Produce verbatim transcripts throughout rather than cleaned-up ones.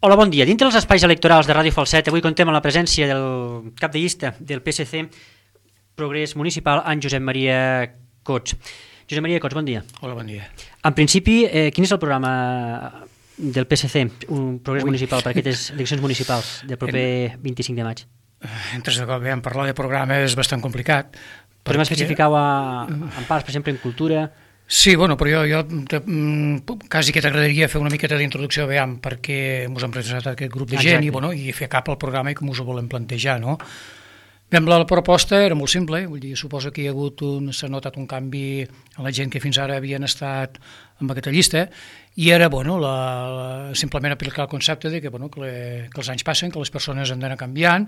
Hola, bon dia. Dintre dels espais electorals de Ràdio Falset, avui contem amb la presència del cap de llista del P S C Progrés Municipal, en Josep Maria Cots. Josep Maria Cots, bon dia. Hola, bon dia. En principi, eh, quin és el programa del P S C, un Progrés Ui. Municipal, per aquestes eleccions municipals del proper En... vint-i-cinc de maig? Entres de cop, eh? parlar de programa és bastant complicat. Podem perquè... especificar-ho en parts, per exemple, en cultura... Sí, bueno, però jo, jo te, mm, quasi que t'agradaria fer una miqueta d'introducció, veiem, perquè ens hem presentat aquest grup de gent. Exacte. i, bueno, i fer cap al programa i com us ho volem plantejar, no? Bé, la proposta era molt simple, vull dir, suposo que hi ha hagut un, s'ha notat un canvi en la gent que fins ara havien estat amb aquesta llista, i era, bueno, la, la, simplement aplicar el concepte de que, bueno, que, le, que els anys passen, que les persones han d'anar canviant,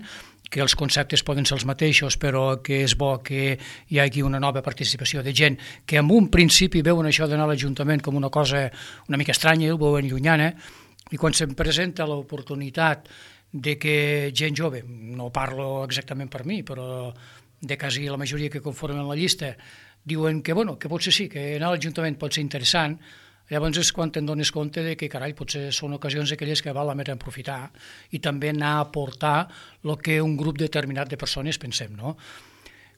que els conceptes poden ser els mateixos, però que és bo que hi hagi una nova participació de gent que en un principi veuen això d'anar a l'Ajuntament com una cosa una mica estranya, el veuen llunyana, i quan se'm presenta l'oportunitat de que gent jove, no parlo exactament per mi, però de quasi la majoria que conformen la llista, diuen que, bueno, que potser sí, que anar a l'Ajuntament pot ser interessant. Llavors és quan te'n dones compte de que, carai, potser són ocasions aquelles que val la pena aprofitar i també anar a aportar el que un grup determinat de persones pensem, no?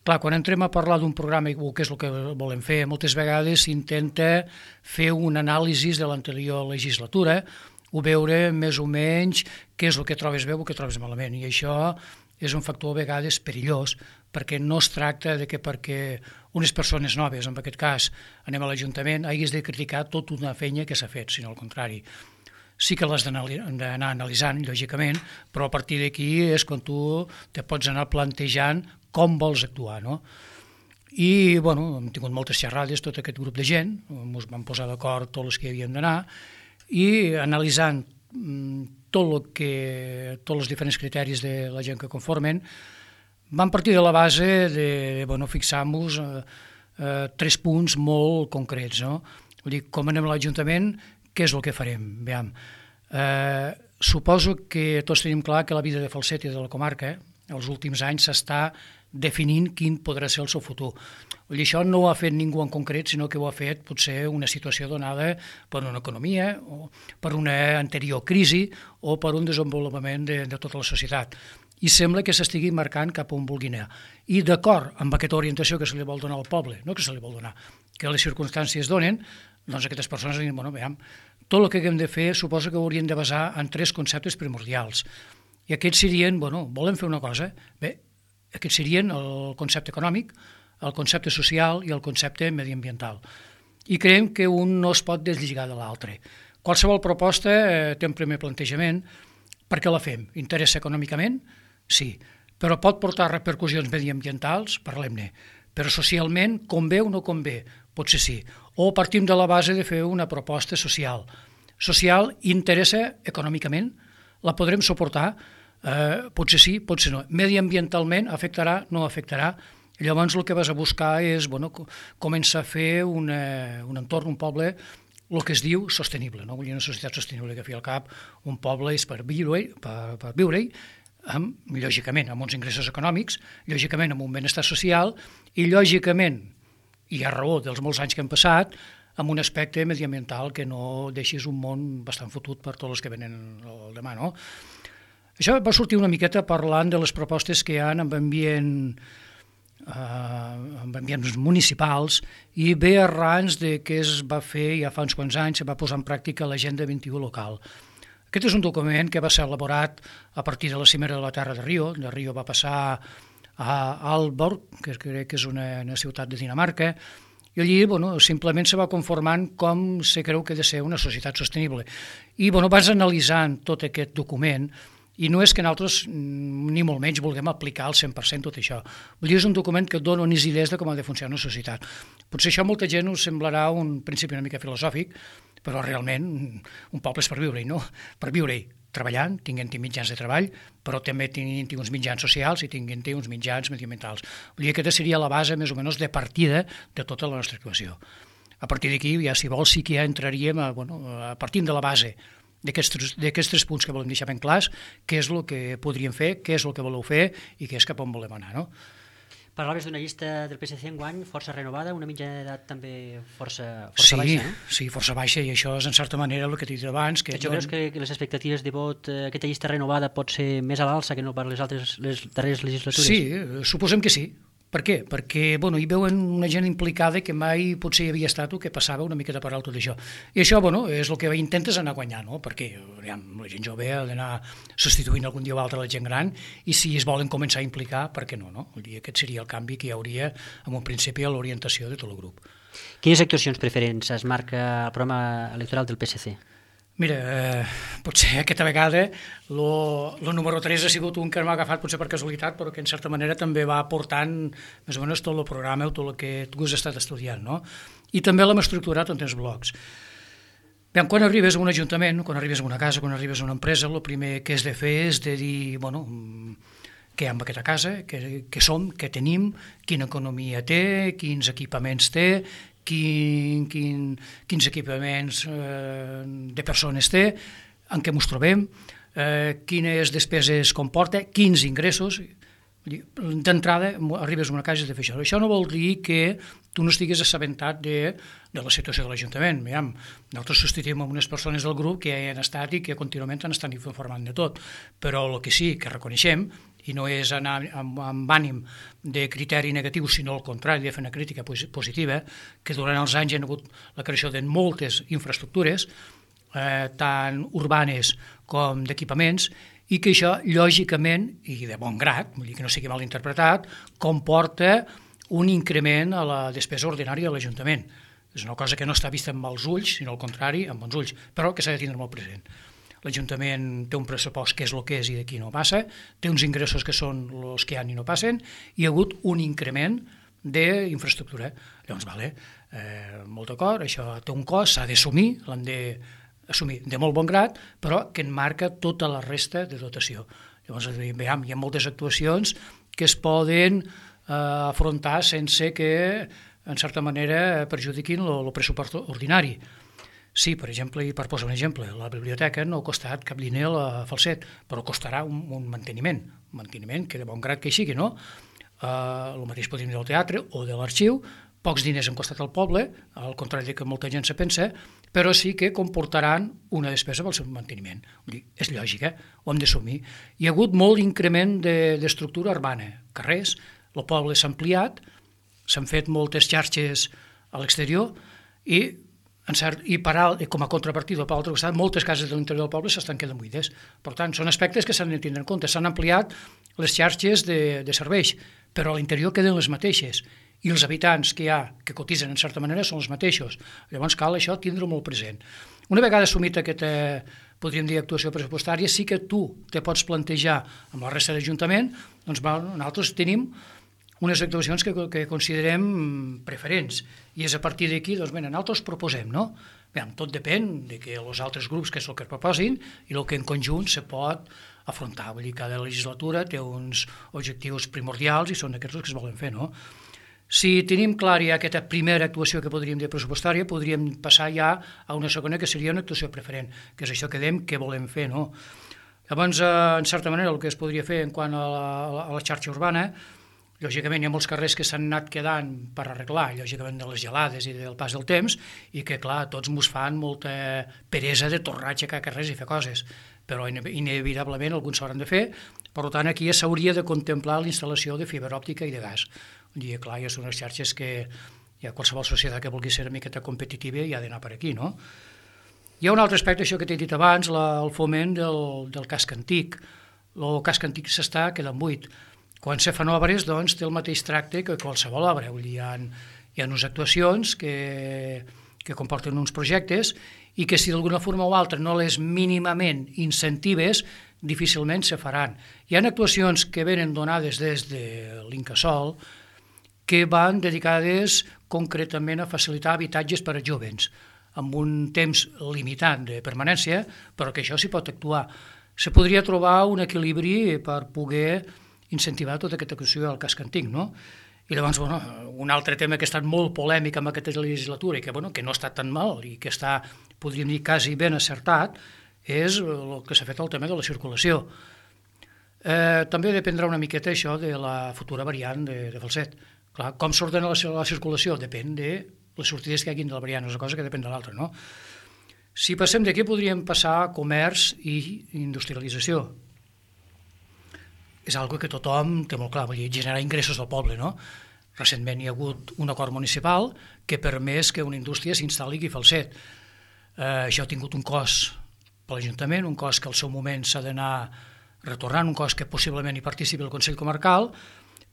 Clar, quan entrem a parlar d'un programa, o què és el que volem fer, moltes vegades s'intenta fer un anàlisi de l'anterior legislatura, o veure més o menys què és el que trobes bé o el que trobes malament, i això és un factor a vegades perillós, perquè no es tracta de que perquè unes persones noves, en aquest cas anem a l'Ajuntament, haguis de criticar tota una feina que s'ha fet, sinó al contrari. Sí que l'has d'anar analitzant, lògicament, però a partir d'aquí és quan tu te pots anar plantejant com vols actuar, no? I, bueno, hem tingut moltes xerrades, tot aquest grup de gent, ens vam posar d'acord tots els que hi havien d'anar, i analitzant tot el que, tots els diferents criteris de la gent que conformen, vam partir de la base de, de bueno, fixar-nos eh, eh, tres punts molt concrets, no? Vull dir, com anem a l'Ajuntament, què és el que farem? Veiem, eh, suposo que tots tenim clar que la vida de Falset i de la comarca, els últims anys s'està definint quin podrà ser el seu futur. Vull dir, això no ho ha fet ningú en concret, sinó que ho ha fet potser una situació donada per una economia, o per una anterior crisi, o per un desenvolupament de, de tota la societat. I sembla que s'estigui marcant cap on vulgui anar. I d'acord amb aquesta orientació que se li vol donar al poble, no que se li vol donar, que les circumstàncies donen, doncs aquestes persones diuen, bueno, veiem, tot el que hem de fer suposo que ho hauríem de basar en tres conceptes primordials. I aquests serien, bueno, volem fer una cosa, bé, aquests serien el concepte econòmic, el concepte social i el concepte mediambiental. I creiem que un no es pot deslligar de l'altre. Qualsevol proposta eh, té un primer plantejament. Per què la fem? Interessa econòmicament? Sí. Però pot portar repercussions mediambientals? Parlem-ne. Però socialment, convé o no convé? Potser sí. O partim de la base de fer una proposta social. Social interessa econòmicament? La podrem suportar? Eh, potser sí, potser no. Mediambientalment afectarà, no afectarà. Llavors el que vas a buscar és, bueno, començar a fer una, un entorn, un poble, el que es diu sostenible, no? Vull dir, una societat sostenible, que a fi al cap un poble és per viure-hi, per, per viure-hi, amb, lògicament, amb uns ingressos econòmics, lògicament amb un benestar social i, lògicament, i a raó dels molts anys que han passat, amb un aspecte mediambiental que no deixis un món bastant fotut per tots els que venen el demà, no? Això va sortir una miqueta parlant de les propostes que hi ha amb ambient amb ambients municipals i ve arrans de que es va fer ja fa uns quants anys, se va posar en pràctica l'Agenda vint-i-u local. Aquest és un document que va ser elaborat a partir de la cimera de la Terra de Rio. De Rio va passar a Aalborg, que crec que és una, una ciutat de Dinamarca, i allí, bueno, simplement se va conformant com se creu que ha de ser una societat sostenible. I, bueno, vas analitzant tot aquest document. I no és que nosaltres, ni molt menys, vulguem aplicar al cent per cent tot això. Vull dir, és un document que et dona unes idees de com ha de funcionar una societat. Potser això a molta gent us semblarà un principi una mica filosòfic, però realment un poble és per viure-hi, no? Per viure-hi, treballant, tinguent-hi mitjans de treball, però també tinguent-hi uns mitjans socials i tinguent-hi uns mitjans mediambientals. Vull dir, aquesta seria la base, més o menys, de partida de tota la nostra actuació. A partir d'aquí, ja si vols, sí que ja entraríem a, bueno, a partir de la base d'aquests tres punts que volem deixar ben clars, què és el que podríem fer, què és el que voleu fer i què és cap on volem anar, no? Parlaves d'una llista del P S C enguany força renovada, una mitjana d'edat també força, força sí, baixa, no? Sí, força baixa, i això és en certa manera el que t'he dit abans. Que jo... creus que les expectatives de vot, eh, aquesta llista renovada pot ser més a l'alça que no per les altres les darreres legislatures? Sí, suposem que sí. Per què? Perquè bueno, hi veuen una gent implicada que mai potser hi havia estat o que passava una miqueta per alt tot això. I això bueno, és el que intentes anar guanyant, no? Perquè aviam, la gent jove ha d'anar substituint algun dia o altre la gent gran, i si es volen començar a implicar, per què no? no? Vull dir, aquest seria el canvi que hi hauria en un principi a l'orientació de tot el grup. Quines actuacions preferents es marca el programa electoral del P S C? Mira, eh, potser aquesta vegada el número tres ha sigut un que m'ha agafat potser per casualitat, però que en certa manera també va aportant més o menys tot el programa o tot el que tu has estat estudiant, no? I també l'hem estructurat en tres blocs. Bé, quan arribes a un ajuntament, quan arribes a una casa, quan arribes a una empresa, el primer que has de fer és de dir, bueno, què hi ha en aquesta casa, què, què som, què tenim, quina economia té, quins equipaments té, Quin, quin, quins equipaments eh, de persones té, en què ens trobem, eh, quines despeses comporta, quins ingressos. D'entrada arribes a una casa i has de fer això. Això no vol dir que tu no estiguis assabentat de, de la situació de l'Ajuntament. Mirem, nosaltres substituïm amb unes persones del grup que hi han estat i que contínuament han estat informant de tot, però el que sí que reconeixem, i no és anar amb, amb ànim de criteri negatiu, sinó al contrari, de fer una crítica positiva, que durant els anys hi ha hagut la creació de moltes infraestructures, eh, tant urbanes com d'equipaments, i que això, lògicament, i de bon grat, vull dir que no sigui mal interpretat, comporta un increment a la despesa ordinària de l'Ajuntament. És una cosa que no està vista amb mals ulls, sinó al contrari, amb bons ulls, però que s'ha de tindre molt present. L'Ajuntament té un pressupost que és el que és i d'aquí no passa, té uns ingressos que són els que hi ha i no passen, i hi ha hagut un increment d'infraestructura. Llavors, vale, eh, molt d'acord, això té un cost, s'ha d'assumir, l'hem d'assumir de molt bon grat, però que en marca tota la resta de dotació. Llavors, veiem, hi ha moltes actuacions que es poden eh, afrontar sense que, en certa manera, perjudiquin el pressupost ordinari. Sí, per exemple, i per posar un exemple, la biblioteca no ha costat cap diner a la Falset, però costarà un, un manteniment, un manteniment que de bon grat que hi sigui, no? Uh, el mateix podríem dir del teatre o de l'arxiu, pocs diners han costat al poble, al contrari que molta gent se pensa, però sí que comportaran una despesa pel seu manteniment. Vull dir, és lògic, eh? Ho hem d'assumir. Hi ha hagut molt increment d'estructura urbana, carrers, el poble s'ha ampliat, s'han fet moltes xarxes a l'exterior i En cert, i per alt, com a contrapartida per l'altre costat, moltes cases de l'interior del poble s'estan quedant buides. Per tant, són aspectes que s'han de tindre en compte. S'han ampliat les xarxes de, de serveis, però a l'interior queden les mateixes. I els habitants que hi ha, que cotitzen en certa manera, són els mateixos. Llavors cal això tindre-ho molt present. Una vegada assumit aquesta, podríem dir, actuació pressupostària, sí que tu te pots plantejar amb la resta de l'Ajuntament, doncs nosaltres tenim unes actuacions que, que considerem preferents, i és a partir d'aquí, doncs bé, nosaltres proposem, no? Bé, tot depèn de que els altres grups que és el que proposin i el que en conjunt se pot afrontar. Vull dir, cada legislatura té uns objectius primordials i són aquests els que es volen fer, no? Si tenim clar ja aquesta primera actuació que podríem dir pressupostària, podríem passar ja a una segona que seria una actuació preferent, que és això que dèiem que volem fer, no? Llavors, en certa manera, el que es podria fer en quant a la, a la xarxa urbana, lògicament hi ha molts carrers que s'han anat quedant per arreglar, lògicament de les gelades i del pas del temps, i que clar, tots mos fan molta peresa de tornar a aixecar carrers i fer coses, però inevitablement alguns s'hauran de fer. Per tant, aquí ja s'hauria de contemplar la instal·lació de fibra òptica i de gas. I clar, ja són unes xarxes que ja qualsevol societat que vulgui ser una miqueta competitiva ja ha d'anar per aquí, no? Hi ha un altre aspecte, això que t'he dit abans, la, el foment del, del casc antic. El casc antic s'està quedant buit. Quan se fan obres, doncs, té el mateix tracte que qualsevol obra. Vull dir, hi ha, hi ha unes actuacions que, que comporten uns projectes i que si d'alguna forma o altra no les mínimament incentives, difícilment se faran. Hi ha actuacions que venen donades des de l'Incasòl que van dedicades concretament a facilitar habitatges per a jóvens, amb un temps limitat de permanència, però que això s'hi pot actuar. Se podria trobar un equilibri per poder incentivar tota aquesta qüestió del casc antic, no? I llavors, bueno, un altre tema que ha estat molt polèmic amb aquesta legislatura i que, bueno, que no ha estat tan mal i que està, podríem dir, quasi ben acertat, és el que s'ha fet el tema de la circulació. Eh, també dependrà una miqueta això de la futura variant de, de Falset. Clar, com s'ordena la, la circulació? Depèn de les sortides que hi hagin de la variant, és una cosa que depèn de l'altra, no? Si passem d'aquí podríem passar a comerç i industrialització. És algo que tothom té molt clar, vull dir, generar ingressos al poble, no? Recentment hi ha hagut un acord municipal que permès que una indústria s'instal·li aquí a Falset. Eh, això ha tingut un cost per l'Ajuntament, un cost que al seu moment s'ha d'anar retornant, un cost que possiblement hi participi el Consell Comarcal,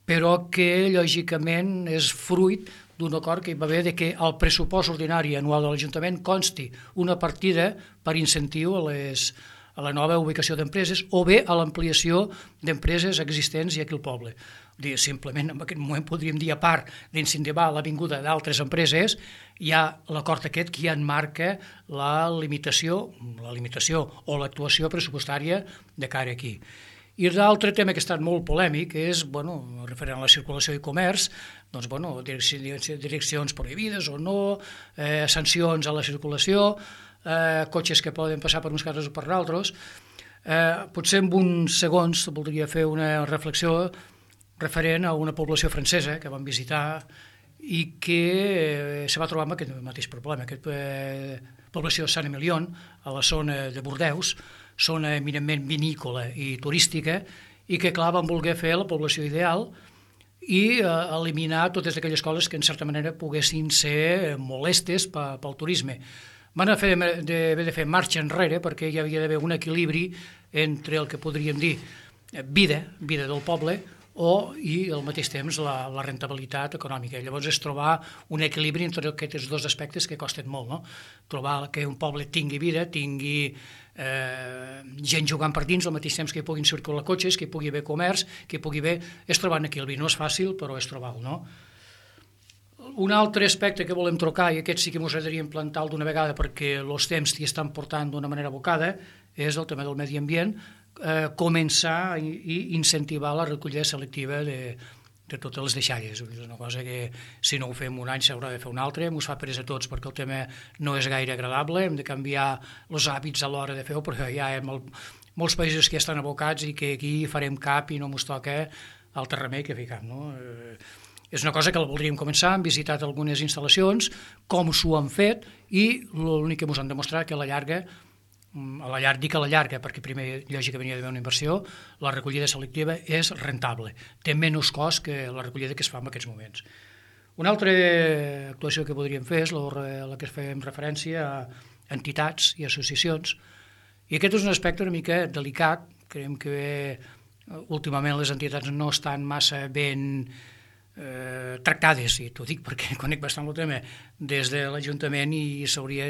però que lògicament és fruit d'un acord que hi va haver de que al pressupost ordinari anual de l'Ajuntament consti una partida per incentiu a, les, a la nova ubicació d'empreses o bé a l'ampliació d'empreses existents i aquí al poble. Dir, simplement en aquest moment podríem dir, a part d'incentivar la vinguda d'altres empreses, hi ha l'acord aquest que ja enmarca la limitació, la limitació o l'actuació pressupostària de cara aquí. I l'altre tema que ha estat molt polèmic és, bueno, referent a la circulació i comerç, doncs, bueno, direccions prohibides o no, eh, sancions a la circulació, eh, cotxes que poden passar per uns carrers o per altres. Eh, potser en uns segons voldria fer una reflexió referent a una població francesa que vam visitar i que eh, se va trobar amb aquest mateix problema. Aquesta eh, població de Saint-Emilion, a la zona de Bordeus, zona eminentment vinícola i turística, i que, clar, van voler fer la població ideal i eh, eliminar totes aquelles coses que, en certa manera, poguessin ser molestes pel turisme. Van haver de, de fer marxa enrere perquè hi havia d'haver un equilibri entre el que podríem dir vida, vida del poble, o i al mateix temps la, la rentabilitat econòmica. Llavors és trobar un equilibri entre aquests dos aspectes que costen molt, no? Trobar que un poble tingui vida, tingui eh, gent jugant per dins, al mateix temps que hi puguin circular cotxes, que hi pugui haver comerç, que hi pugui haver... És trobar un equilibri, no és fàcil, però és trobar-lo, no? Un altre aspecte que volem trocar, i aquest sí que ens agradaria implantar d'una vegada perquè els temps hi estan portant d'una manera abocada, és el tema del medi ambient, eh, començar i, i incentivar la recollida selectiva de, de totes les deixalles. És una cosa que si no ho fem un any s'haurà de fer un altre, ens fa presa a tots perquè el tema no és gaire agradable, hem de canviar els hàbits a l'hora de fer-ho, perquè hi ha molt, molts països que estan abocats i que aquí farem cap i no ens toca altre remei que fer cap, no? Eh, és una cosa que la voldríem començar, hem visitat algunes instal·lacions, com s'ho han fet, i l'únic que ens han demostrat que a la llarga, a la llarga, dic a la llarga, perquè primer lògicament hi ha d'haver una inversió, la recollida selectiva és rentable, té menys cost que la recollida que es fa en aquests moments. Una altra actuació que podríem fer és la, la que fem referència a entitats i associacions, i aquest és un aspecte una mica delicat, creiem que últimament les entitats no estan massa ben Eh, tractades, i t'ho dic perquè conec bastant el tema des de l'Ajuntament i s'hauria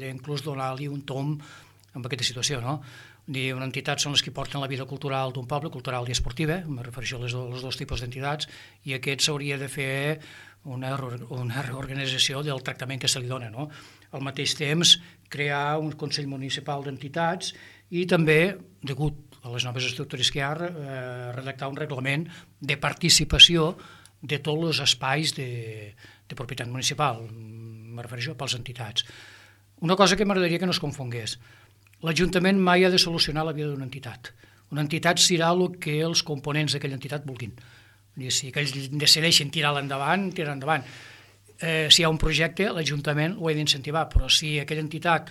d'inclús donar-li un tom amb aquesta situació, no? Dir, una entitat són les que porten la vida cultural d'un poble, cultural i esportiva, em refereixo a les, als dos tipus d'entitats, i aquest s'hauria de fer una, una reorganització del tractament que se li dona, no? Al mateix temps, crear un Consell Municipal d'Entitats i també, degut a les noves estructures que hi ha, eh, redactar un reglament de participació de tots els espais de, de propietat municipal, me refereixo pels entitats. Una cosa que m'agradaria que no es confongués, l'Ajuntament mai ha de solucionar la vida d'una entitat. Una entitat serà el que els components d'aquella entitat vulguin. Si ells decideixen tirar-la endavant, tirar endavant. Eh, si hi ha un projecte, l'Ajuntament ho ha d'incentivar, però si aquella entitat,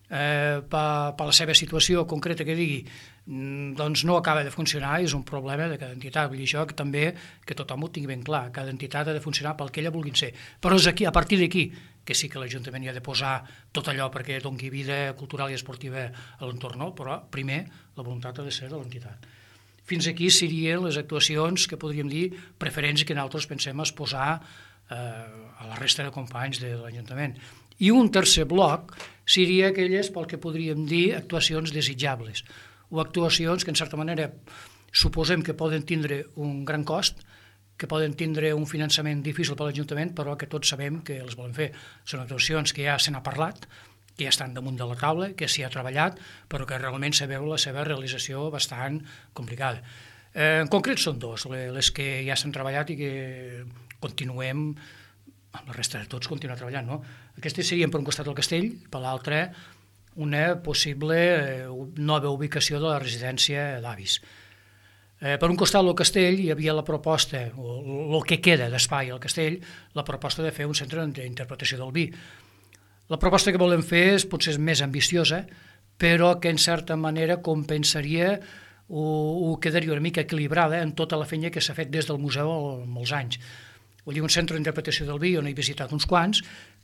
eh, per, per la seva situació concreta que digui, doncs no acaba de funcionar, és un problema de cada entitat. Vull dir això que també que tothom ho tingui ben clar, cada entitat ha de funcionar pel que ella vulguin ser, però és aquí, a partir d'aquí que sí que l'Ajuntament hi ha de posar tot allò perquè doni vida cultural i esportiva a l'entorn, no? Però primer la voluntat ha de ser de l'entitat. Fins aquí serien les actuacions que podríem dir preferents i que nosaltres pensem es posar eh, a la resta de companys de l'Ajuntament. I un tercer bloc seria aquelles pel que podríem dir actuacions desitjables, o actuacions que, en certa manera, suposem que poden tindre un gran cost, que poden tindre un finançament difícil per l'Ajuntament, però que tots sabem que els volen fer. Són actuacions que ja se n'ha parlat, que ja estan damunt de la taula, que s'hi ha treballat, però que realment se veu la seva realització bastant complicada. Eh, en concret són dos, les que ja s'han treballat i que continuem, amb la resta de tots, continuar treballant, no? Aquestes serien per un costat el castell, per l'altre una possible nova ubicació de la residència d'avis. Eh, per un costat, al castell, hi havia la proposta, o el que queda d'espai al castell, la proposta de fer un centre d'interpretació del vi. La proposta que volem fer és potser més ambiciosa, però que en certa manera compensaria o, o quedaria una mica equilibrada en tota la feina que s'ha fet des del museu en molts anys. Vull dir, un centre d'interpretació del vi on he visitat uns quants,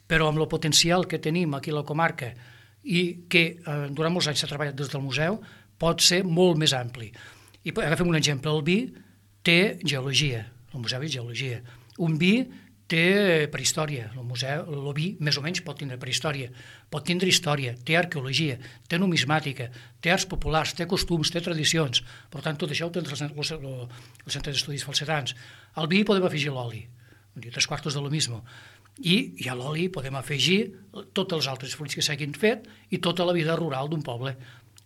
però amb el potencial que tenim aquí a la comarca i que eh, durant molts anys s'ha treballat des del museu, pot ser molt més ampli. I agafem un exemple, el vi té geologia, el museu és geologia. Un vi té prehistòria, el museu, el vi més o menys pot tindre prehistòria, pot tindre història, té arqueologia, té numismàtica, té arts populars, té costums, té tradicions. Per tant, tot això ho té el Centre d'Estudis Falsetans. Al vi podem afegir l'oli, tres quartos de lo mismo. I, i a l'oli podem afegir tots els altres fruits que s'hagin fet i tota la vida rural d'un poble.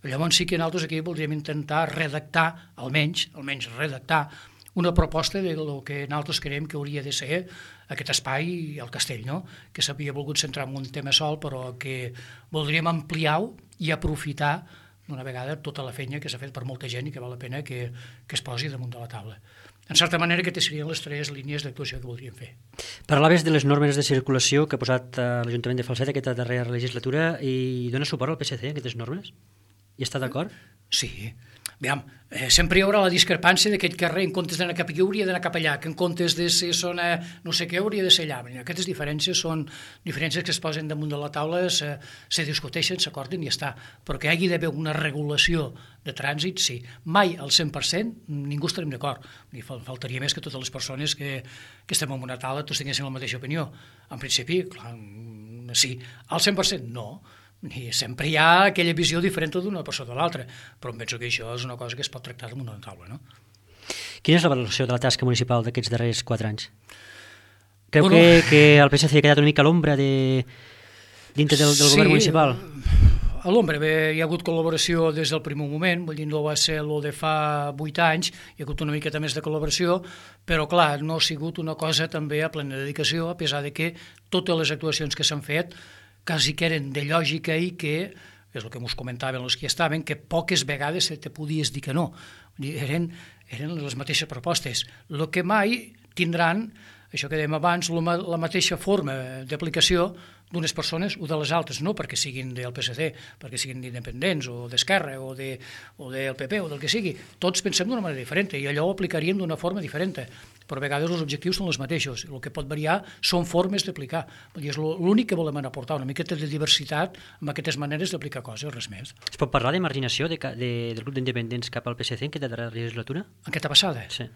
Llavors sí que nosaltres aquí voldríem intentar redactar, almenys, almenys redactar, una proposta del que nosaltres creiem que hauria de ser aquest espai al castell, no? Que s'havia volgut centrar en un tema sol, però que voldríem ampliar-ho i aprofitar d'una vegada tota la feina que s'ha fet per molta gent i que val la pena que, que es posi damunt de la taula. En certa manera, aquestes serien les tres línies d'actuació que voldríem fer. Parlaves de les normes de circulació que ha posat l'Ajuntament de Falset aquesta darrera legislatura i dona suport al P S C a aquestes normes? Hi està d'acord? Sí. Aviam, eh, sempre hi haurà la discrepància d'aquest carrer, en comptes d'anar cap aquí hauria d'anar cap allà, que en comptes de ser zona no sé què hauria de ser allà. Aquestes diferències són diferències que es posen damunt de la taula, se, se discuteixen, s'acorden i ja està. Però que hi hagi d'haver una regulació de trànsit, sí. Mai al cent per cent ningú estarem d'acord. Faltaria més que totes les persones que, que estem en una taula tots tinguessin la mateixa opinió. En principi, clar, sí. Al cent per cent no. I sempre hi ha aquella visió diferent d'una persona de l'altra, però em penso que això és una cosa que es pot tractar damunt d'una taula, no? Quina és la valoració de la tasca municipal d'aquests darrers quatre anys? Creu bueno, que, que el P S C ha quedat una mica a l'ombra de, dintre del, del sí, govern municipal? A l'ombra, bé, hi ha hagut col·laboració des del primer moment, vull dir, no va ser el de fa vuit anys, hi ha hagut una miqueta més de col·laboració, però clar, no ha sigut una cosa també a plena dedicació, a pesar de que totes les actuacions que s'han fet quasi que eren de lògica i que, és el que ens comentaven els que estaven, que poques vegades te podies dir que no. Eren, eren les mateixes propostes. El que mai tindran, això que dèiem abans, la mateixa forma d'aplicació d'unes persones o de les altres, no perquè siguin del P S C, perquè siguin independents o d'Esquerra o, de, o del P P o del que sigui. Tots pensem d'una manera diferent i allò ho aplicaríem d'una forma diferent. Però a vegades els objectius són els mateixos. El que pot variar són formes d'aplicar. És l'únic que volem aportar, una miqueta de diversitat amb aquestes maneres d'aplicar coses, res més. Es pot parlar de marginació de, de, del grup d'independents cap al P S C en aquesta darrera legislatura? Aquesta passada? Sí.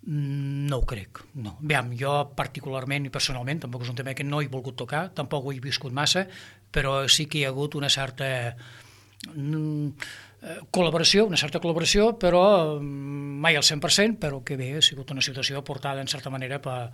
No ho crec, no. Aviam, jo particularment i personalment, tampoc és un tema que no he volgut tocar, tampoc ho he viscut massa, però sí que hi ha hagut una certa col·laboració, una certa col·laboració, però mai al cent per cent, però que bé, ha sigut una situació portada en certa manera per,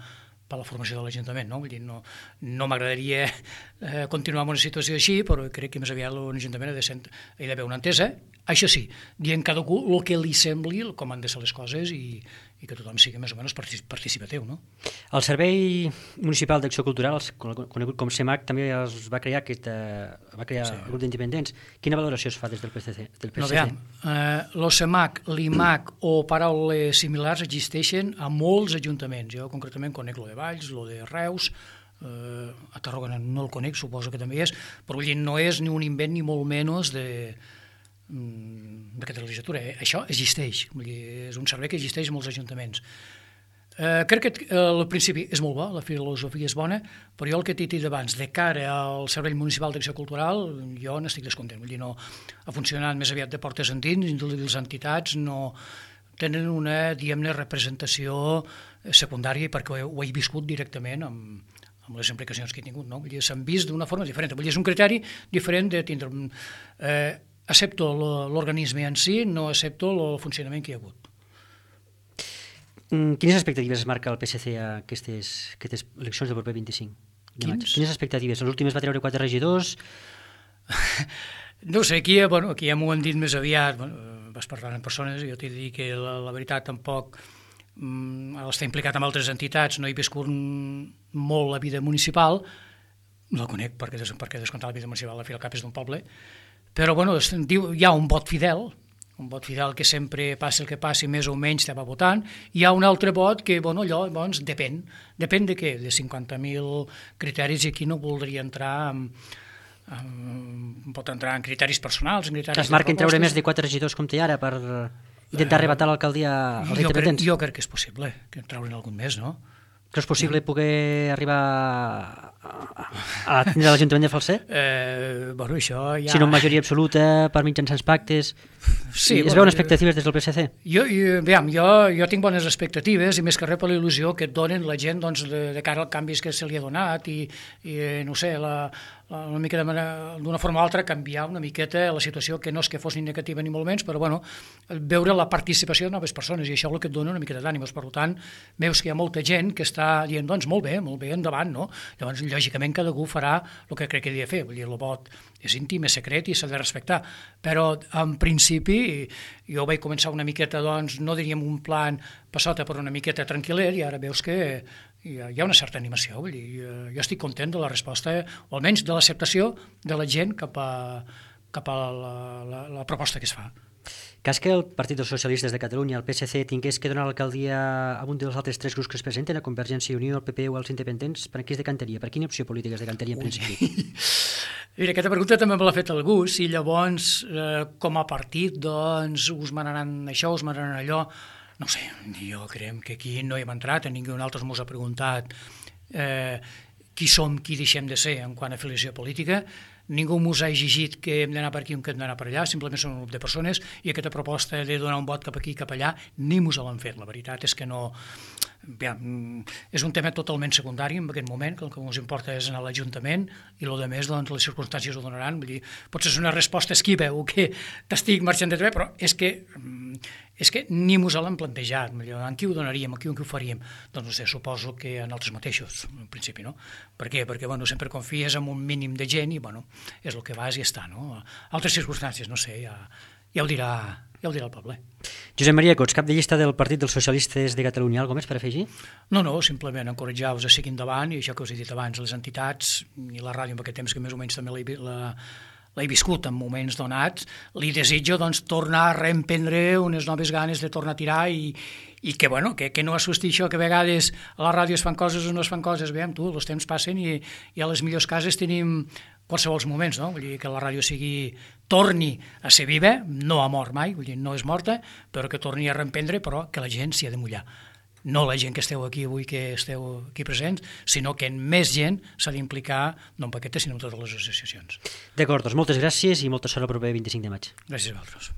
per la formació de l'Ajuntament, no? Vull dir, no, no m'agradaria eh, continuar en una situació així, però crec que més aviat l'Ajuntament ha de ser, hi ha d'haver una entesa, això sí, dient cadascú el que li sembli, com han de ser les coses i, i que tothom sigui més o menys participatiu, no? El Servei Municipal d'Acció Cultural, conegut com CEMAC, també es va crear, aquest, eh, va crear sí. el grup d'independents. Quina valoració es fa des del P S C? Del P S C? No, veiem, eh, el CEMAC, l'I M A C o paraules similars existeixen a molts ajuntaments. Jo concretament conec lo de Valls, lo de Reus, eh, a Tarragona no el conec, suposo que també és, però vull dir, no és ni un invent ni molt menys de d'aquesta legislatura. Eh? Això existeix, vull dir, és un servei que existeix en molts ajuntaments. Eh, crec que eh, al principi és molt bo, la filosofia és bona, però jo el que t'he dit abans, de cara al Servei Municipal d'Acció Cultural, jo n'estic descontent, vull dir, no ha funcionat més aviat de portes endins, i les entitats no tenen una, diguem-ne, representació secundària perquè ho he viscut directament amb, amb les implicacions que he tingut, no? Vull dir, s'han vist d'una forma diferent, vull dir, és un criteri diferent de tindre... Eh, accepto l'organisme en si, no accepto el funcionament que hi ha hagut. Quines expectatives es marca el P S C a aquestes, aquestes eleccions del proper vint-i-cinc de maig? Quines expectatives? Les últimes va treure quatre regidors? No sé, aquí, bueno, aquí ja m'ho han dit més aviat, bueno, vas parlant amb persones i jo t'he dit que la, la veritat tampoc mm, està implicat amb altres entitats, no he viscut molt la vida municipal, no la conec perquè, perquè descomptar la vida municipal al fi al cap és d'un poble, però bueno, es diu, hi ha un vot fidel, un vot fidel que sempre passi el que passi, més o menys te va votant. Hi ha un altre vot que, bueno, allò, doncs, depèn. Depèn de què? De cinquanta mil criteris, i aquí no voldria entrar en, en, pot entrar en criteris personals, en criteris... Es marquen treure més de quatre regidors com té ara per intentar arrebatar l'alcaldia als independents? Jo crec que és possible, que traure'n algun més, no? Creus possible poder arribar a tindre l'Ajuntament de Falset? Eh, bueno, això ja... Si no en majoria absoluta, per mitjançants pactes... Sí, es bueno, veuen expectatives des del P S C? Jo, jo, veiem, jo, jo tinc bones expectatives, i més que res per la il·lusió que et donen la gent, doncs, de, de cara als canvis que se li ha donat, i, i no sé, la, la, una mica d'una forma o altra canviar una miqueta la situació, que no és que fos ni negativa ni molt menys, però bueno, veure la participació de noves persones, i això és el que et dona una mica d'ànimes. Per tant, veus que hi ha molta gent que està dient, doncs, molt bé, molt bé, endavant, no? Llavors, lògicament, cada un farà el que crec que havia de fer. Vull dir, el vot és íntim, és secret i s'ha de respectar. Però, en principi, jo vaig començar una miqueta, doncs, no diríem un plan passota, però una miqueta tranquil·let, i ara veus que hi ha, hi ha una certa animació. Vull dir, jo estic content de la resposta, o almenys de l'acceptació de la gent cap a, cap a la, la, la proposta que es fa. Cas que el Partit dels Socialistes de Catalunya, el P S C, tingués que donar l'alcaldia a un dels altres tres grups que es presenten, a Convergència i Unió, el P P o els independents, per qui es decantaria? Per quina opció política es decantaria en principi? Mira, aquesta pregunta també me l'ha fet algú, si llavors, eh, com a partit, doncs, us manaran això, us manaran allò. No sé, jo crec que aquí no hi hem entrat, ningú altre mos ha preguntat eh, qui som, qui deixem de ser en quant a afiliació política. Ningú ens ha exigit que hem d'anar per aquí o que hem d'anar per allà, simplement som un grup de persones, i aquesta proposta de donar un vot cap aquí i cap allà ni ens l'han fet. La veritat és que no... Ja, és un tema totalment secundari en aquest moment, que el que ens importa és anar a l'Ajuntament, i el que més, doncs, les circumstàncies ho donaran. Vull dir, potser és una resposta esquiva o que t'estic marxant de treball, però és que és que ni ens l'han plantejat. En qui ho donaríem, en qui ho faríem? Doncs no sé, suposo que en altres mateixos, en principi, no? Per què? Perquè, bueno, sempre confies en un mínim de gent i, bueno, és el que vas i està, no? Altres circumstàncies, no sé, ja, ja ho dirà, ja ho dirà el poble. Josep Maria Cots, cap de llista del Partit dels Socialistes de Catalunya, alguna més per afegir? No, no, simplement encoratjar-vos a seguir endavant, i això que us he dit abans, les entitats i la ràdio en aquest temps que més o menys també l'he la, l'he viscut en moments donats, li desitjo, doncs, tornar a reemprendre unes noves ganes de tornar a tirar i, i que, bueno, que, que no assusti això, que a vegades a la ràdio es fan coses o no es fan coses. Veiem, tu, els temps passen i, i a les millors cases tenim qualsevol moments, no? Vull dir que la ràdio sigui, torni a ser viva, no ha mort mai, vull dir, no és morta, però que torni a reemprendre, però que la gent s'hi ha de mullar. No la gent que esteu aquí avui, que esteu aquí presents, sinó que més gent s'ha d'implicar, no en paquetes, sinó en totes les associacions. D'acord, doncs moltes gràcies i molta sort el proper vint-i-cinc de maig. Gràcies a vosaltres.